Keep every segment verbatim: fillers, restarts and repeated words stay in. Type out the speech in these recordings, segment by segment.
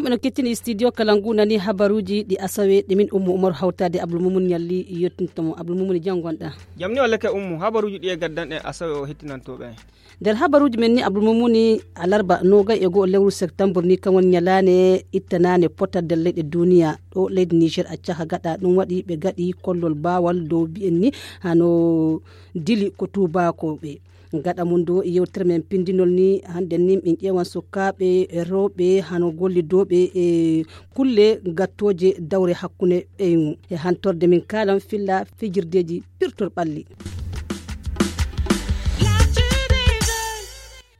No kettini studio kala ngu nani habaruuji ɗi asawe ɗi min Ummu Umaru hawtaade Abdul Mumun Ñalli yettinto mo. Abdul Mumun, jam ngonɗaa? Jam ni wallake Ummu, habaruuji ɗi e gaddanɗen asawe o hettinantooɓe en. Nder habaruuji men ni Abdul Mumuni, alarba noogay e go'o lewru septembre ni kan woni ñalaande ittanaande potal nder leyɗe duuniya. Ɗo leydi Niger accaka gaɗa ɗum waɗi ɓe gaɗi kollol baawal dow mbi'en ni hano dili ko tuubaakooɓe. Gaɗa mum dow yewtere men pindinol ni, hannden ni min ƴeewan sukaaɓe rewɓe hano gollidooɓe e kulle gattooje dawre hakkunde ɓeyngu. E hantorde min kaalan filla fijirdeeji pirtol ɓalli.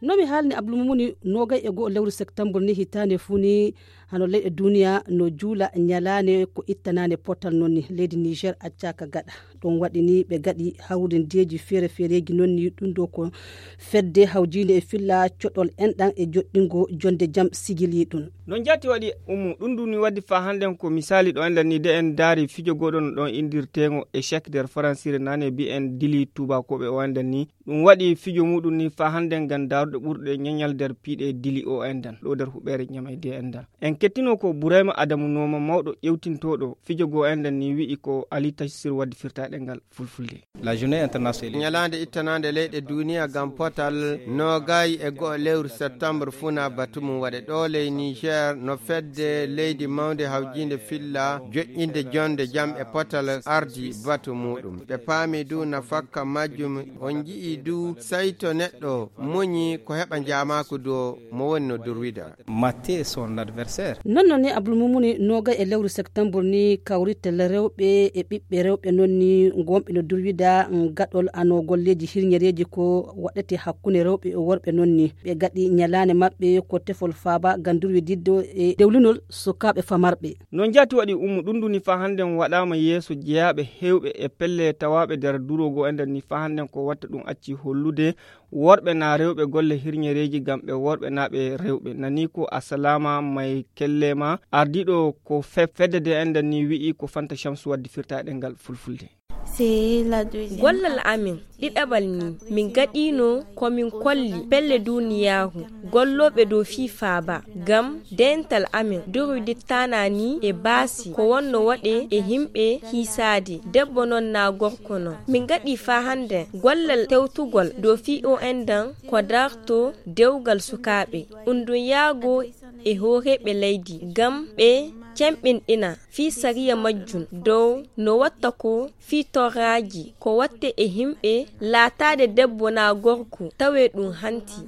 No mi haalni Abdul Mumuni, noogay e go'o lewru septembre ni hitaande fuu ni hano leyɗe duuniya no juula ñalaande ko ittanaande potal non ni. Leydi Niger accaaka gaɗa. Ɗum waɗi ni ɓe gaɗi hawrindeeji feere-feereeji non ni ɗum ɗo ko fedde hawjiinde e filla coɗol enɗan e joɗɗingo jonde jam sigili ɗum. No njaati waɗi Ummu, ɗum ɗum ni waddi faa hannden ko misaali ɗo enɗan ni de en ndaari fijo gooɗo no ɗon inndirteengo échec nder faransire nane mbi'en dili tuubaakooɓe o enɗan ni. Ɗum waɗi fijo muuɗum ni faa hannden ngam daaruɗe ɓurɗe ñañal nder piiɗe dili o enɗan ɗo nder huɓeere ñamayde enɗan. En kettino ko Burayma Adamu Nooma mawɗo ƴewtintooɗo fijo goo enɗan ni wi'i ko Ali Tachsir waddi firtaaɗe ngal fulfulde. La journée internationale. Ñalaande ittanaande leyɗe duuniya ngam potal noogay e go'o lewru septembre funa batu mum waɗe ɗo ley Niger no fedde leydi mawnde hawjiinde filla joƴƴinde jonde jam e potal ardi batu muuɗum. Ɓe paami du nafakka majjum on nji'i du sayto neɗɗo muñi ko heɓa njaamaaku du mo woni no durwida. Maté son adversaire. Non non ni Abdul Mumuni noogay e lewru septembre ni kawritel rewɓe e ɓiɓɓe rewɓe non ni ngonɓe no durwida gaɗol ano golleeji hirñereeji ko waɗete hakkunde rewɓe e worɓe non ni. Ɓe gaɗi ñalaande maɓɓe ko tefol faaba ngam durwididde e dewlinol sukaaɓe famarɓe. No njaati waɗi Ummu ɗum ɗum ni faa hannden waɗaama yeeso jeyaaɓe heewɓe e pelle tawaaɓe nder duroogo enɗan ni faa hannden ko watta ɗum acci hollude worɓe naa rewɓe golle hirñereeji ngam ɓe worɓe naa ɓe rewɓe. Nani ko Asalaama May Kelleema, ardiiɗo ko fe-, fedde de enɗan ni wi'i ko Fanta Shamsu waddi firtaaɗe ngal fulfulde. C'est la deuxième. Gollal amin ɗiɗaɓal ni min gaɗiino ko min kolli pelle duniyaaru gollooɓe dow fii faaba ngam dental amin durwidittaanani e baasi ko wonno waɗe e himɓe hiisaade debbo non naa gorko non. Min gaɗi faa hannden gollal tewtugol dow fii o enɗan ko darto dewgal sukaaɓe, undunyaago e hooreeɓe leydi ngam ɓe cemɓinɗina fii sariya majjum dow no watta ko fii torraaji ko watte e himɓe laataade debbo naa gorko tawee ɗum hanti.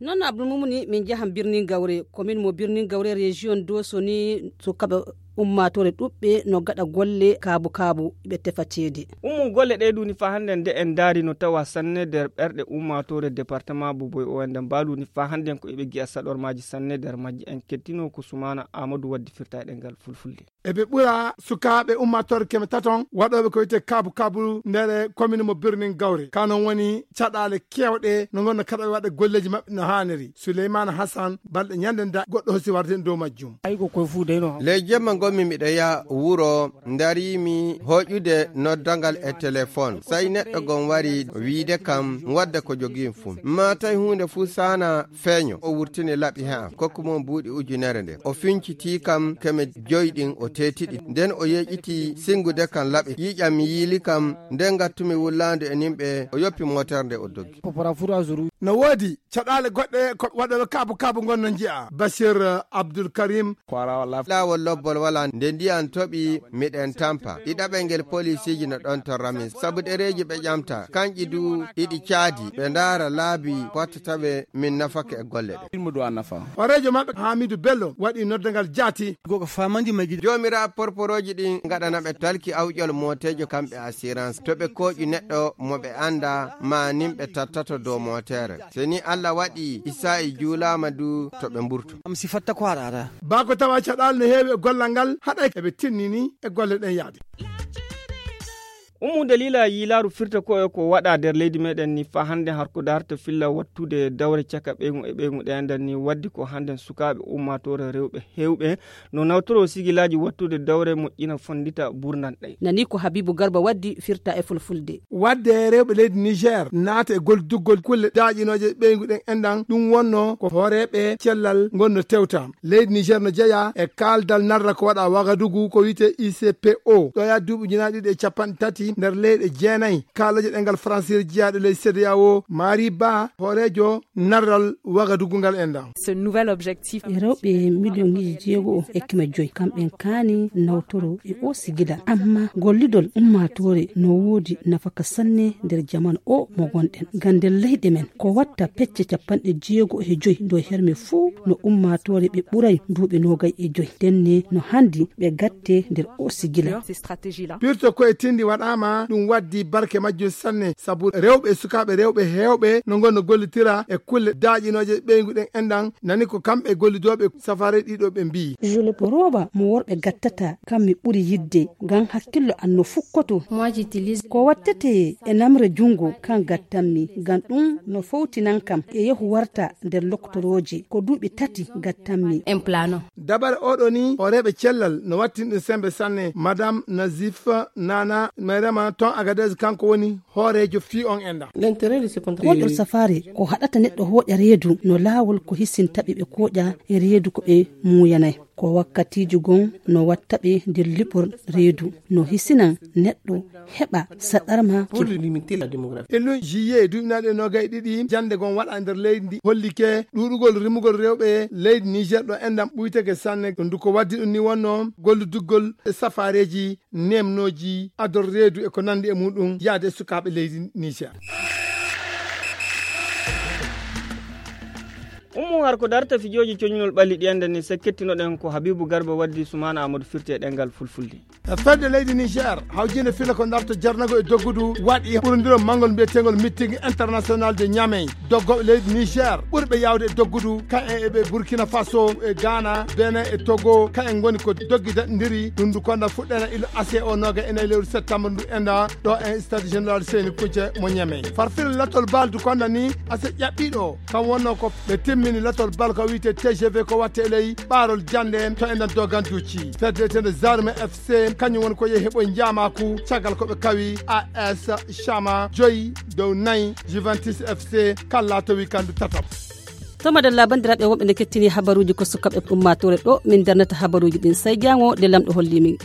Non no Abdul Mumuni min njahan Birnin Gawre, komin mo Birnin Gawre, rejiyon Doso ni sukaaɓe ummaatoore ɗuɓɓe no gaɗa golle kaabu kaabu ɓe tefa ceede. Ummu golle ɗee ɗum ni faa hannden nde en ndaari no tawa sanne nder ɓerɗe ummaatoore departement Boboy o enɗan mbaalu ni faa hannden ko eɓe gi'a saɗormaaji sanne nder majji. En kettino ko Sumaana Aamadu waddi firtaaɗe ngal fulfulde. Eɓe ɓura sukaaɓe ummaatoore keme taton waɗooɓe ko wiyetee kaabu kaabu nder komin mo Birnin Gawre. Ka non woni caɗaale keewɗe no ngonno kaɗa ɓe waɗa golleeji maɓɓe no haaniri. Suleymaana Hasan balɗe ñande nda goɗɗo hosi warde dow majjum. Ley jemma ngonmi miɗo yaha wuro, ndariimi hoƴude noddangal e telefon. Sey neɗɗo gon wari wiide kam wadda ko jogii fuu. Maa tawi huunde fuu saana feeño. O wurtini laɓi he am, kokku mum buuɗi ujunere nde. O fincitii kam keme joy ɗin, o teeti ɗi. Nden o yeeƴitii singude kam laɓi. Yiƴam mi yiili kam, nden ngattumi wullaandu e nimɓe, o yoppi mootere nde o doggi. No woodi caɗaale goɗɗe ko waɗooɓe kaabu kaabu ngon no nji'a. Bashir Abdul Karim. Laawol lobbol walaa, nde ndiyan toɓi miɗen tampa. Ɗiɗaɓel ngel poliisiiji no ɗon torra min. Sabu ɗereeji ɓe ƴamta, kanƴi du iɗi caadi. Ɓe ndaara laabi watta tawe min nafake e golle ɗe. Horeejo maɓɓe Hamidu Bello waɗi noddangal jaati. Joomiraaɓe porporooji ɗin ngaɗana ɓe talki awƴol mooteejo kamɓe assurance. To ɓe kooƴi neɗɗo mo ɓe annda, maa nin ɓe tattato dow mootere. Se ni Alla waɗi Isaa'i juulaama du to ɓe mburto. Baa ko tawa caɗaali no heewi e gollal ngal, haɗay eɓe tinnini e golle ɗen yaade. Ummu daliila yiilaaru firta ko e ko waɗa nder leydi meɗen ni faa hannden har ko darta filla wattude dawre caka ɓeygu e ɓeygu ɗe enden ni waddi ko hannden sukaaɓe ummaatoore rewɓe heewɓe no nawtoro sigilaaji wattude dawre moƴƴina fonndita burnan ɗe. Nani ko Habibu Garba waddi firta e fulfulde. Wadde rewɓe leydi Niger naata e golliduggol kulle daaƴinooje ɓeygu ɗen enɗan ɗum wonno ko hooreeɓe cellal ngon no tewta. Leydi Niger no jeyaa e kaaldal narra ko waɗa Wagadugu ko wiyetee I C P O. Ɗo yaa duuɓi ujunaaji ɗiɗi e capanɗe tati nder leyɗe jeenayi. Kaalooje ɗengal Faransiire jeyaaɗo ley C D A O, Mari Ba, hooreejo narral Wagadugu ngal enɗan. Ce nouvel objectif. E rewɓe miliyoŋiiji jeego o e keme joy, kamɓen kaani nawtoro e o sigila. Amma gollidol ummaatoore no woodi nafaka sanne nder jamanu o mo gonɗen. Ngam nder leyɗe men, ko watta pecce capanɗe jeego e joy dow herme fuu no ummaatoore ɓe ɓuray duuɓi noogay e joy. Ndenne no handi ɓe gatte nder o sigila. Pirto ko e tindi waɗaama, ɗum waddi barke majjum sanne, sabu rewɓe e sukaaɓe rewɓe heewɓe no ngon no gollitira e kulle daaƴinooje ɓeygu ɗen enɗan, nani ko kamɓe gollidooɓe safaare ɗiɗo ɓe mbii. Rooba mo worɓe gattata, kam mi ɓuri yidde, ngam hakkillo an no fukkoto. Ko wattete e namre junngo, kan gattanmi, ngam ɗum no fowtinan kam e yehu warta nder loktorooje, ko duuɓi tati gattanmi. Dabare oɗo ni, hooreeɓe cellal no wattin ɗum sembe sanne. Madame Nazif Nana Mayrama ton Agadez, kanko woni hooreejo fii on enɗan. Koɗol safaare ko haɗata neɗɗo hooƴa reedu no laawol ko hisinta ɓe ɓe kooƴa e reedu ko ɓe muuyanay. Ko wakkatiiji gon no watta ɓe nder liɓol reedu no hisinan neɗɗo heɓa saɗarma. E lun juillet duuɓinaaɗe noogay ɗiɗi, jannde gon waɗa nder leydi ndi hollike ɗuuɗugol rimugol rewɓe leydi Niger ɗo enɗan ɓuytake sanne. Ɗum du ko waddi ɗum ni wonno golluduggol e safaareeji, nemnooji, ador reedu e ko nanndi e muɗum yaade e sukaaɓe leydi Niger. Ummu har ko darta fijooji coñunol ɓalli ɗi enɗan ni, se kettinoɗen ko Habibu Garba waddi Sumaana Amadou firti e ɗemngal fulfulde. E fedde leydi Niger, hawjinde fila ko darta jarnagol e doggudu waɗi ɓurondiro manngol mbiyeteengol meeting international de Niamey. Doggooɓe leydi Niger ɓurɓe yaawde e doggudu, kayen e ɓe Burkina Faso, e Ghana, Benin e Togo, kayen ngoni ko doggi daɗindiri. Ɗum ndu konda fuɗɗena ilo ase o nooga e nayi lewru septembre ndu enɗan ɗo e stade général Seyni Kunce mo Niamey. Farfil latol bal du konda ni ase ƴaɓɓiɗo, kam wonno ko ɓe timmini latol bal ko wiyetee T G V ko watte e ley ɓaarol jannde to enɗan doganduuci. Fedde wiyetende Zarme F C, kañum woni ko yehi heɓoy njaamaaku caggal ko ɓe kawi A S Chama joyi dow nayi Juventus F C, kala to wikandu tatam. To madalla, banndiraaɓe wonɓe ne kettini habaruuji ko sukaaɓe ummaatoore ɗo min darnata habaruuji ɗin, sey jaango nde Laamɗo holli min.